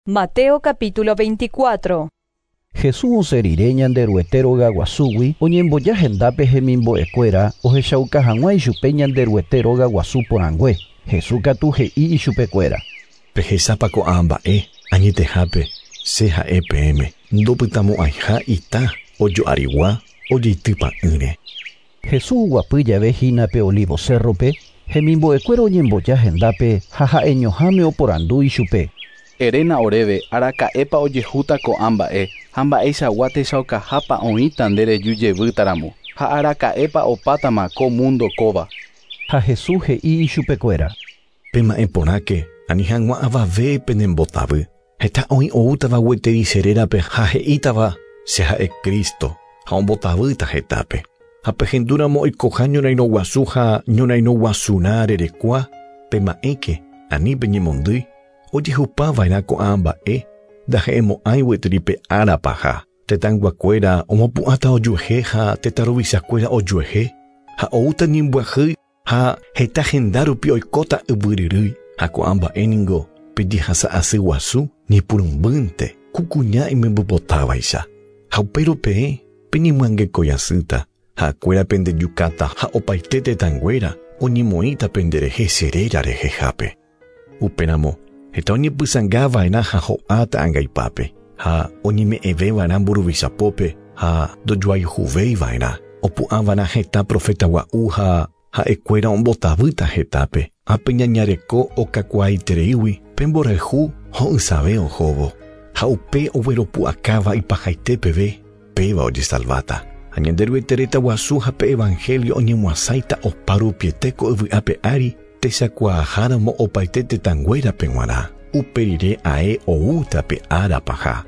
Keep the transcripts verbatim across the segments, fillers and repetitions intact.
Mateo capítulo veinticuatro. Jesús osẽ rire Ñanderuete rogaguasúgui oñemboja hendápe hemimbo'ekuéra ohechauka hag̃ua ichupe Ñanderuete rogaguasu porãngue. Jesús katu he'i ichupekuéra. Pehechápa ko'ã mba'e añetehápe che ha'e peẽme ndopytamo'ãiha ita ojo'arigua ojeitypa'ỹre. Jesús oguapy jave hína pe Olivo cerro-pe hemimbo'ekuéra oñemboja hendápe ha ha'eñoháme oporandu ichupe. Eréna oréve araka'épa ojehúta ko'ã mba'e ha mba'eichagua techaukahápa oĩta nde reju jevýtaramo ha araka'épa opátama ko mundo kóva. Ha Jesús he'i ichupekuéra. Pema'ẽ porãke ani hag̃ua avave penembotavy. Heta oĩ oútava gueteri che rérape ha he'ítava che ha'e Cristo ha ombotavýta hetápe. Ha pehendúramo oikoha ñorairõguasu ha ñorairõguasurã rerekua pema'ẽke ani peñemondýi ojehupava'erã ko'ã mba'e ndahe'emo'ãi gueteri pe ára paha. Tetãyguakuéra omopu'ãta ojuehe ha tetãruvichakuéra ojuehe ha oúta ñembyahýi ha heta henda rupi oikóta yvyryrýi ha ko'ã mba'e ningo pejehasa'asy guasu ñepyrũmbýnte ku kuña imembypotávaicha. Ha upéro peẽ peñemyangekóiasýta ha'ekuéra pendejukáta ha opaite tetãnguéra oñemoĩta penderehe che réra rehehápe. Upéramo heta oñepysãngava'erã ha ho'áta angaipápe ha oñeme'ẽveva'erã mburuvichapópe ha ndojoayhuvéiva'erã. Opu'ãva'erã heta profeta gua'u ha ha'ekuéra ombotavýta hetápe ha peñañareko okakuaaitereígui pemborayhu ho'ysãve ohóvo ha upe ogueropu'akáva ipahaite peve péva ojesalváta. Ha Ñanderuete reta guasu ha pe evangelio oñemoasãita opa rupiete ko yvy'ápe ári techakuaaháramo opaite tetãnguérape g̃uarã. Upe rire ae oúta pe ára paha.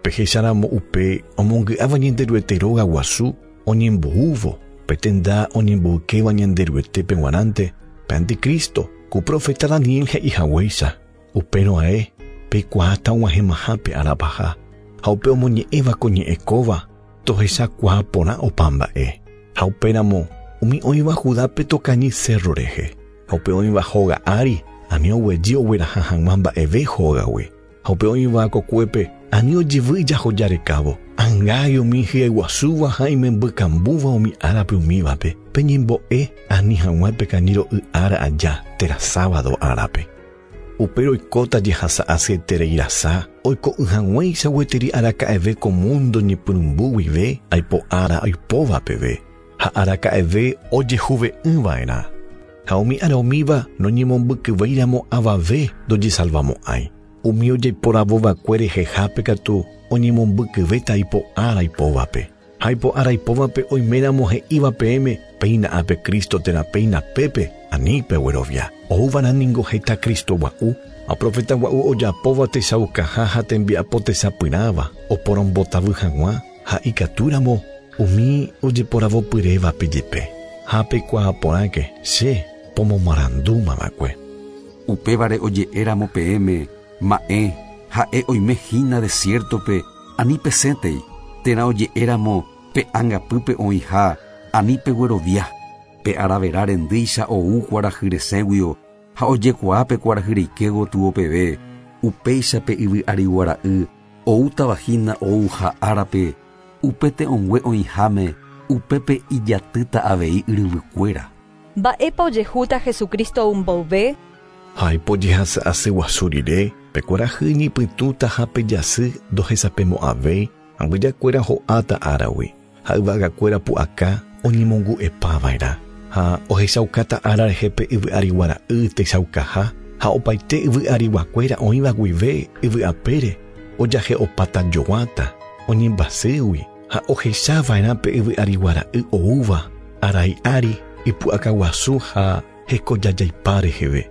Pehecháramo upe omongy'áva Ñanderuete róga guasu oñemboúvo pe tenda oñemboykéva Ñanderuetépe g̃uarãnte pe anticristo ku profeta Daniel he'ihaguéicha. Upérõ ae peikuaáta og̃uahẽmaha pe ára paha ha upe omoñe'ẽva ko ñe'ẽ kóva tohechakuaa porã opa mba'e. Ha upéramo umi oĩva Judápe tokañy cerro rehe ha upe oĩva hóga ári ani oguejy ogueraha hag̃ua mba'eve hógagui. Ha upe oĩva kokuépe ani ojevy ijahojarekávo. Angái umi hyeguasúva ha imembykambúva umi árape umívape peñembo'e ani hag̃ua pekañy ro'y ára aja térã sábado árape. Upéro oikóta jehasa'asyetereirasa oiko'ỹ hag̃uáicha gueteri araka'eve ko mundo ñepyrũmby guive aipo ára oipóva peve ha araka'eve ojehuve'ỹva'erã. Ha umi ára umíva noñemombykyvéiramo avave ndojesalvamo'ãi. Umi ojeiporavova'ekue rehehápe katu oñemombykyvéta ipo ára ipóvape. Ha ipo ára ipóvape oiméramo he'íva peẽme péina ápe Cristo térã péina pépe ani peguerovia. Oúva'erã ningo heta Cristo gua'u ha profeta gua'u ojapóva techaukaha ha tembiapo techapyrãva oporombotavy hag̃ua ha ikatúramo umi ojeporavopyrévape jepe. Ha peikuaa porãke che pomomarandúmava'ekue. Upévare oje'éramo peẽme ma'ẽ ha'e oime hína desiertope ani pesẽtei térã oje'éramo pe angapýpe oĩha ani peguerovia. Pe aravera rendýicha ou kuarahy resẽguio ha ojekuaa pe kuarahy reike gotyo peve upéicha pe yvy ariguara'y oútava hína ouha árape upe te'õngue oĩháme upépe ijatýta avei yryvykuéra. Mba'épa ojehúta Jesucristo oumboyve? Ha ipojehasa'asy guasu rire pe kuarahy ñepytũta ha pe jasy ndohesapemo'ãvéi angujakuéra ho'áta áragui ha yvagakuéra pu'aka oñemongu'epava'erã ha ohechaukáta ára rehe pe yvy ariguara'y techaukaha ha opaite yvy ariguakuéra oĩva guive yvy apére ojahe'opáta joguáta oñembasýgui ha ohechava'erã pe yvy ariguara'y oúva arai ári ipu'akaguasu ha hekojajaipa reheve.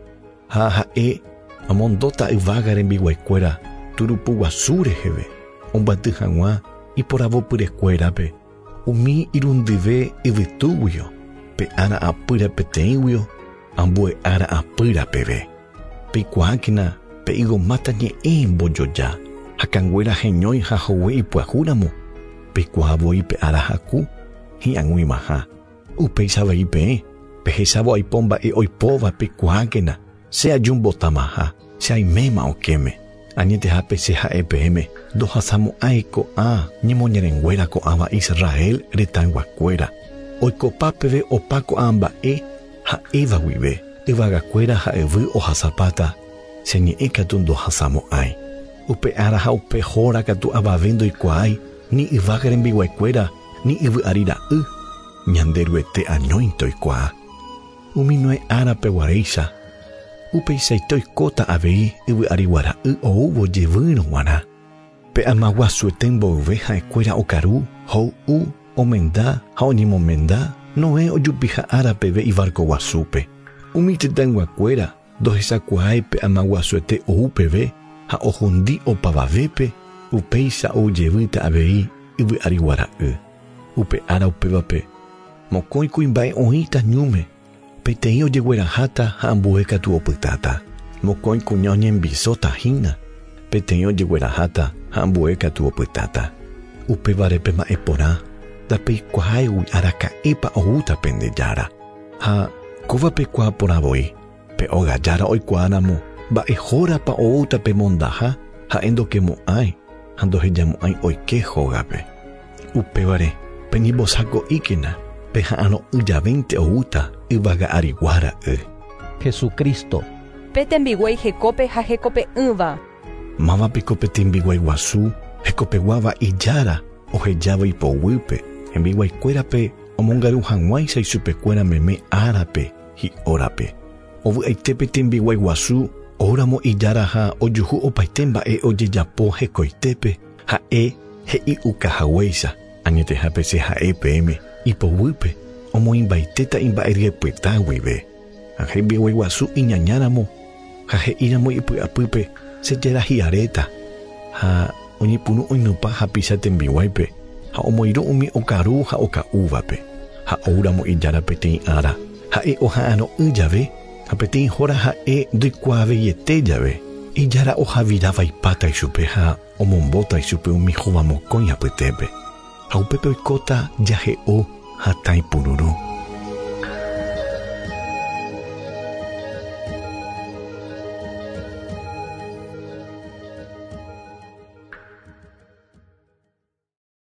Ha ha'e amondóta yvága rembiguaikuéra turupuguasu reheve ombaty hag̃ua iporavopyrekuérape umi irundyve yvytúguio pe ára apýra peteĩguio ambue ára apýra peve. Peikuaákena pe igomáta ñe'ẽ mbojoja ha kanguéra heñói ha hogue ipyahúramo peikuaa voi pe ára haku hi'ag̃uimaha. Upéicha avei peẽ pehechávo aipo mba'e oipóva peikuaákena che ajumbotamaha che aiméma okẽme. Añetehápe che ha'e peẽme ndohasamo'ãi ko'ã ñemoñerenguéra ko'ãva Israel retãyguakuéra. Oikopa peve opa ko'ã mba'e ha'éva guive. Yvagakuéra ha yvy ohasapáta, che ñe'ẽ katu ndohasamo'ãi. Upe ára ha upe hóra katu avave ndoikuaái, ni yvága rembiguaikuéra, ni yvy ári ra'y, Ñanderuete añóinte oikuaa. Umi Noé árape guaréicha, upeichaite oikóta avei yvy arigua ra'y oúvo jevýrõ g̃uarã. Pe amaguasuete mboyve ha'ekuéra okaru, hoy'u, omenda ha oñemomenda, Noé ojupiha ára peve ibarco guasúpe. Umi tetãyguakuéra ndohechakuaái pe amaguasuete ou peve ha ohundi opavavépe, upéicha ojevýta avei yvy arigua ra'y. Upe ára upévape mokõi kuimba'e oĩta ñúme, peteĩ ojegueraháta ha ambue katu opytáta. Mokõi kuña oñembisóta hína, peteĩ ojegueraháta ha ambue katu opytáta. Upévare pema'ẽ porã, ndapeikuaáigui araka'épa oúta pende jára. Ha kóva pekuaa porã voi, pe óga jára oikuaáramo mba'ehórapa oúta pemondaha ha'e ndokemo'ãi ha ndohejamo'ãi oike hógape. Upévare peñembosako'íkena peha'arõ'ỹ javénte oúta yvága arigua ra'y. Jesucristo. Pe tembiguái hekópe ha hekope'ỹva. Mávapiko pe tembiguái guasu hekopeguáva ijára ohejáva ipoguýpe, hembiguaikuérape omongaru hag̃uáicha ichupekuéra meme árape hi'órape. Ovy'aite pe tembiguái guasu oúramo ijára ha ojuhu opaite mba'e ojejapo hekoitépe, ha'e he'i'ukahaguéicha. Añetehápe che ha'e peẽme ipoguýpe omoĩmbaitéta imba'eryepyeta guive. Ha hembiguái guasu iñañáramo ha he'íramo ipy'apýpe che jára hi'aréta ha oñepyrũ oinupã hapicha tembiguáipe ha omoirũ umi okaru ha oka'úvape. Ha oúramo ijára peteĩ ára ha'e oha'arõ'ỹ jave ha peteĩ hóra ha'e ndoikuaaveiete jave. Ijára ohaviravaipáta ichupe ha omombóta ichupe umi hovamokõi apytépe. Ha upépe oikóta jahe'o hatã ipururũ.